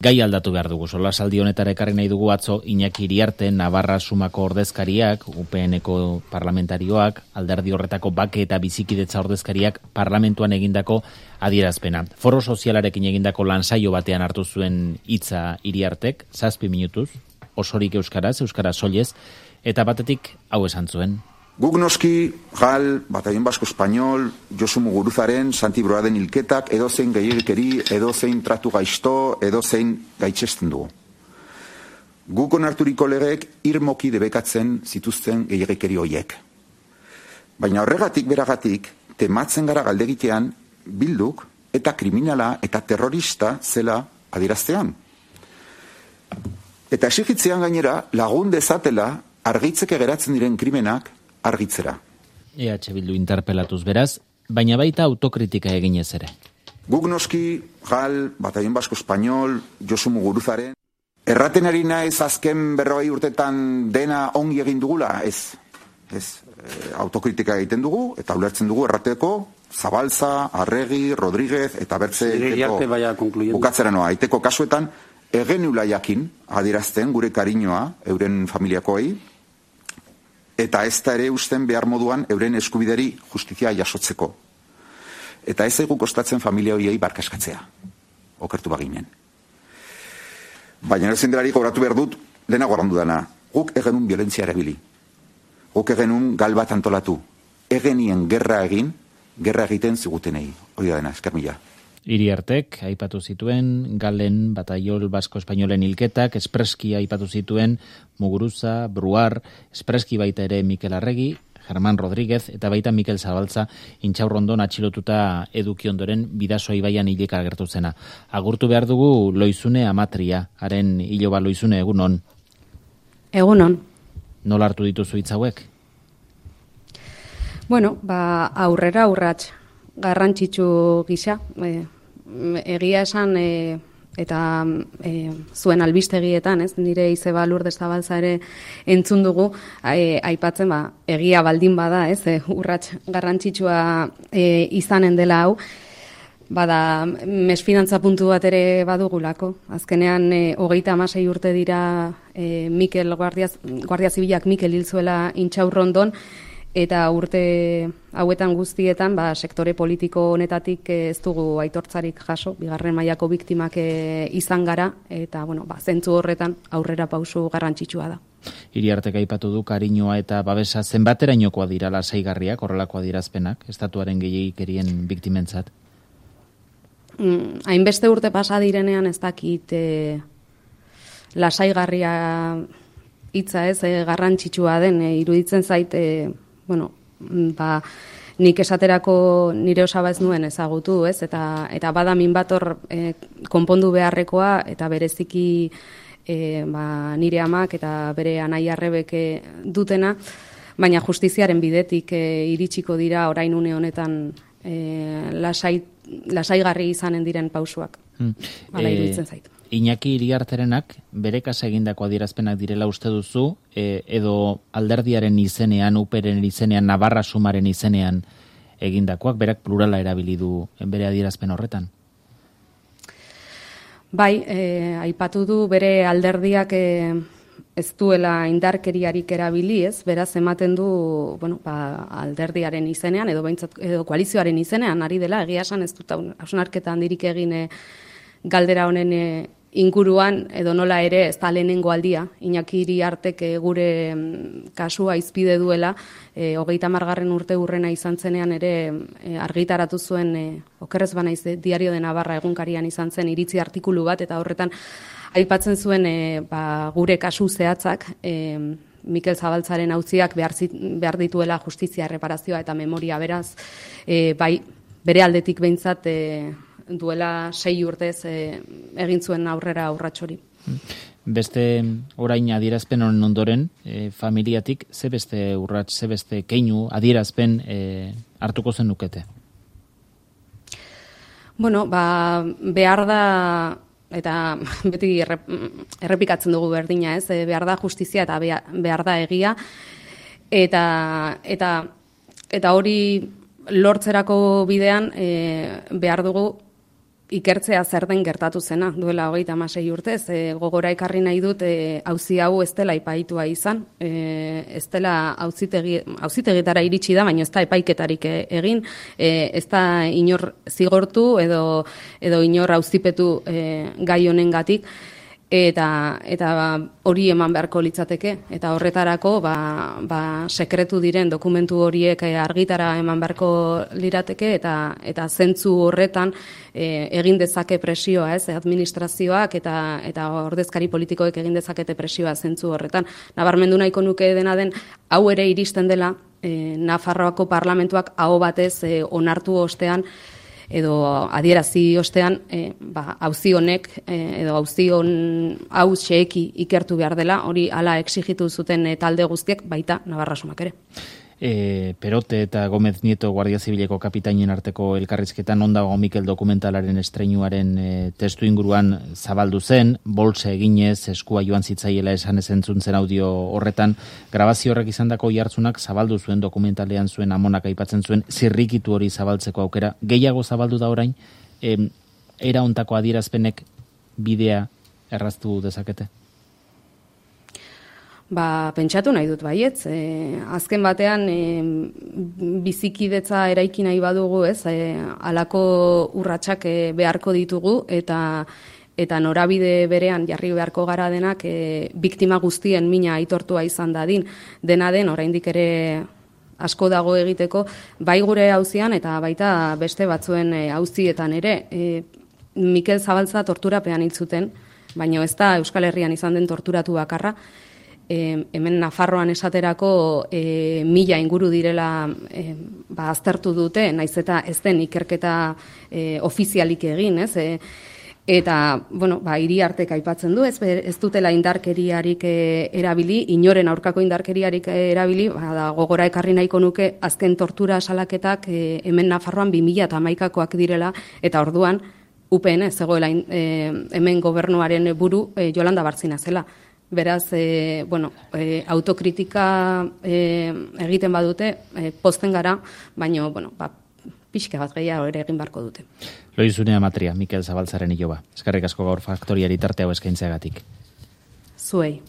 Gai aldatu behar dugu, solasaldi honetara ekarri nahi dugu atzo Iñaki Iriarte, Navarra Sumako ordezkariak, UPN-eko parlamentarioak, alderdi horretako bake eta bizikidetza ordezkariak parlamentuan egindako adierazpena. Foro sozialarekin egindako lansaio batean hartu zuen hitza Iriartek, 7 minutuz, osorik euskaraz soilez, eta batetik hau esan zuen. Guk noski, GAL, Batallón Vasco Español, Josu Muguruzaren, Santi Broaden hilketak, edozein gehiagikeri, edozein tratu gaizto, edozein gaitzesten dugu. Guk onarturiko legeek irmoki debekatzen zituzten gehiagikeri hoiek. Baina horregatik beragatik, tematzen gara galdegitean Bilduk eta kriminala eta terrorista zela adieraztean. Eta esigitzean gainera lagun dezatela argitzeke geratzen diren krimenak argitzera. EH Bildu interpelatuz beraz, baina baita autokritika eginez ere. Guk noski, GAL, Batallón Vasco Español, Josu Muguruzaren, erraten ari naiz azken 40 urtetan dena ongi egin dugula, ez. Autokritika egiten dugu, eta ulertzen dugu errateko, Zabalza, Arregi, Rodríguez, eta bertze bukatzera noa. Aiteko kasuetan, egenula jakin adierazten gure kariñoa euren familiakoei, eta ez da ere usten behar moduan euren eskubideri justizia jasotzeko. Eta ez zaigu kostatzen familia horiei barkaskatzea. Okertu baginen. Baina ezen delari gauratu behar dut, dena gorandu dana. Guk egenun violentzia erabili. Guk egenun gal bat antolatu. Egenien gerra egiten zigutenei. Hori da dena, esker mila. Iriartek aipatu zituen Galen, Batallón Vasco Espainolen hilketak, espreski aipatu zituen Muguruza, Bruar, espreski baita ere Mikel Arregi, Germán Rodríguez eta baita Mikel Zabalza Intxaurrondon atxilotuta eduki ondoren Bidasoa ibaian hileka agertu zena. Agurtu behar dugu Loizune Amatria, haren hiloba Loizune, egunon. Egunon. Nola hartu dituzu hitz hauek? Bueno, aurrera urrats garrantzitsu gisa, egia esan eta zuen albistegietan, ez? Nire izeba Lourdes Zabalza ere entzun dugu, aipatzen egia baldin bada, ez? Urrats garrantzitsua izanen dela hau, bada mesfidantza puntu bat ere badugulako. Azkenean 36 urte dira Mikel Guardia Zibilak Mikel hil zuela Intxaurrondon, eta urte hauetan guztietan sektore politiko honetatik ez dugu aitortzarik jaso, bigarren mailako biktimak izan gara, eta zentzu horretan aurrera pausu garrantzitsua da. Iriartek aipatu du kariñoa eta babesa zenbaterainokoa dira lasaigarriak, horrelako adierazpenak, estatuaren gehiegikerien biktimentzat? Hainbeste urte pasa direnean ez dakit lasaigarria hitza ez garrantzitsua den, iruditzen zait nik esaterako nire osaba ez nuen ezagutu, ez? Eta bada min bat hor konpondu beharrekoa, eta bereziki nire amak eta bere anaia Arrebek dutena, baina justiziaren bidetik iritsiko dira orain une honetan lasaigarri izanen diren pausuak. Hala iruditzen zait. Iñaki Iriarterenak bere kasa egindako adierazpenak direla uste duzu, edo alderdiaren izenean, UPren izenean, Navarra Sumaren izenean egindakoak, berak plurala erabili du bere adierazpen horretan? Bai, aipatu du bere alderdiak ez duela indarkeriarik erabili, ez? Beraz ematen du, alderdiaren izenean edo koalizioaren izenean ari dela, egia esan ez dut hausnarketa handirik egin galdera honen inguruan, edo nola ere ez da lehenengo aldia, Iñaki Iriartek gure kasua izpide duela, 30. urte urrena izan zenean ere argitaratu zuen, okerrez banaiz, Diario de Navarra egunkarian izan zen iritzi artikulu bat, eta horretan aipatzen zuen gure kasu zehatzak, Mikel Zabaltzaren auziak behar dituela justizia, erreparazioa eta memoria, beraz, bere aldetik behintzat duela 6 urtez egin zuen aurrera urratxori. Beste orain adierazpen honen ondoren, familiatik ze beste urrats, ze beste keinu adierazpen hartuko zen nukete? Behar da, eta beti errepikatzen dugu berdina, ez? Behar da justizia eta behar da egia, eta hori lortzerako bidean behar dugu ikertzea zer den gertatu zena, duela 36 urtez. Gogora ekarri nahi dut, auzi hau ez dela epaitua izan, ez dela auzitegitara iritsi da, baina ez da epaiketarik egin, ez da inor zigortu edo inor auzipetu gai honengatik. Eta hori eman beharko litzateke, eta horretarako sekretu diren dokumentu horiek argitara eman beharko lirateke, eta zentzu horretan egin dezake presioa, administrazioak eta ordezkari politikoek egin dezakete presioa zentzu horretan. Nabarmendu nahiko nuke dena den, hau ere iristen dela, Nafarroako parlamentuak aho batez onartu ostean, edo adierazi ostean, auzi honek, edo auzi hau xeeki ikertu behar dela, hori hala exigitu zuten talde guztiek, baita Navarra Sumak ere. Perote eta Gómez Nieto Guardia Zibileko kapitainen arteko elkarrizketan ondago Mikel dokumentalaren estreinuaren testu inguruan zabaldu zen, bolsa eginez, eskua joan zitzaiela esan ezentzun zen audio horretan, grabazio horrek izandako jartzunak zabaldu zuen dokumentalean zuen amonak aipatzen zuen zirrikitu hori zabaltzeko aukera. Gehiago zabaldu da orain, era hontako adierazpenek bidea erraztu dezakete? Pentsatu nahi dut baietz. Azken batean bizikidetza eraiki nahi badugu, halako urratsak beharko ditugu eta norabide berean jarri beharko gara denak biktima guztien mina aitortua izan dadin. Dena den oraindik ere asko dago egiteko, bai gure auzian eta baita beste batzuen auzietan ere. Mikel Zabaltza torturapean hil zuten, baina ez da Euskal Herrian izan den torturatu bakarra. Hemen Nafarroan esaterako 1000 inguru direla aztertu dute, naiz eta ez den ikerketa ofizialik egin, eta, Iriartek aipatzen du, ez dutela indarkeriarik erabili, inoren aurkako indarkeriarik erabili, gogora ekarri nahiko nuke azken tortura salaketak hemen Nafarroan 2011koak direla, eta orduan UPN zegoela hemen gobernuaren buru Yolanda Bartzina zela. Beraz, autokritika egiten badute, pozten gara, baina, pixka bat gehiago ere egin beharko dute. Loizunea Matria, Mikel Zabaltzaren iloba. Eskerrik asko gaur faktoriari tarte hau eskaintzeagatik. Zuei.